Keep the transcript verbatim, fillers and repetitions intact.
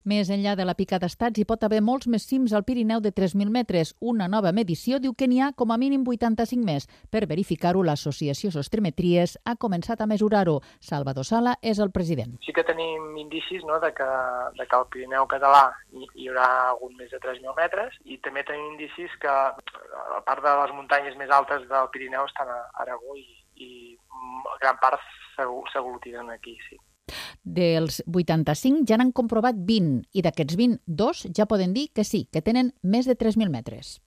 Més enllà de la pica d'estats, hi pot haver molts més cims al Pirineu de tres mil metres. Una nova medició diu que n'hi ha com a mínim vuitanta-cinc més. Per verificar-ho, l'associació Sostremetries ha començat a mesurar-ho. Salvador Sala és el president. Sí que tenim indicis, no, de, que, de que al Pirineu català hi, hi haurà algun més de tres mil metres, i també tenim indicis que a part de les muntanyes més altes del Pirineu estan a Aragó i, i gran part s'aglutinen aquí, sí. Dels vuitanta-cinc ja n'han comprovat vint i d'aquests vint, dos ja poden dir que sí, que tenen més de tres mil metres.